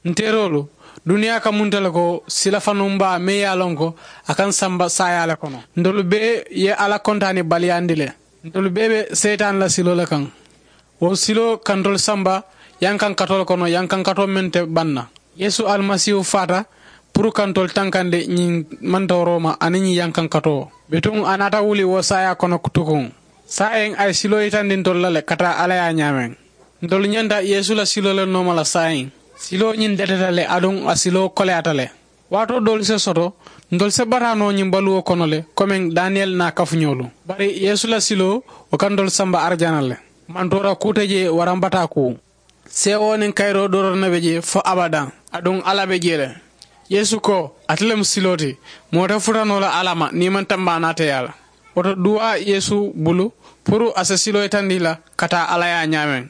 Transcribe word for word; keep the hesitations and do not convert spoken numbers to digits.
Nteeroolu, duniyaa ka munta le ko sila fanuŋ baa meŋ ye a loŋ ko a kaŋ samba saayaa le kono. Ntolu bee ye alla kontaani baliyaandi le. Ntolu bee be seyitaani la siloo le kaŋ. Wo siloo ka ntolu samba yankankatoo le kono, yankankatoo meŋ te baŋ na. Yeesu alimasiihu faata puru ka ntolu tankandi ñiŋ mantooroo ma aniŋ ñiŋ yankankatoo. Bituŋ a naata wuli wo saayaa kono tukuŋ. Saayiŋ a ye siloo yitandi ntolu la le ka taa alla ye a ñaameŋ. Ntolu ñanta yeesu la siloo le nooma la saayiŋ. Siloo ñiŋ deteta le aduŋ a siloo koleyaata le. Waatoo doolu se soto ntolu se bataa noo ñiŋ baluwo kono le komeŋ daniyeli naa kafuñoolu. Bari yeesu la siloo wo ka ntolu samba arijana le. Mantoora kuu te jee waraŋ bataa kuu. Seewoo niŋ kayiroo doroŋ ne be jee fo abadaŋ. Aduŋ alla be jee le. Yeesu ko, ate le mu siloo ti. Moo te futa noo la alla ma niŋ i maŋ tambaanaa te yaa la. Wo to duwaa yeesu bulu puru a si siloo yitandi i la ka taa alla ye a ñaameŋ.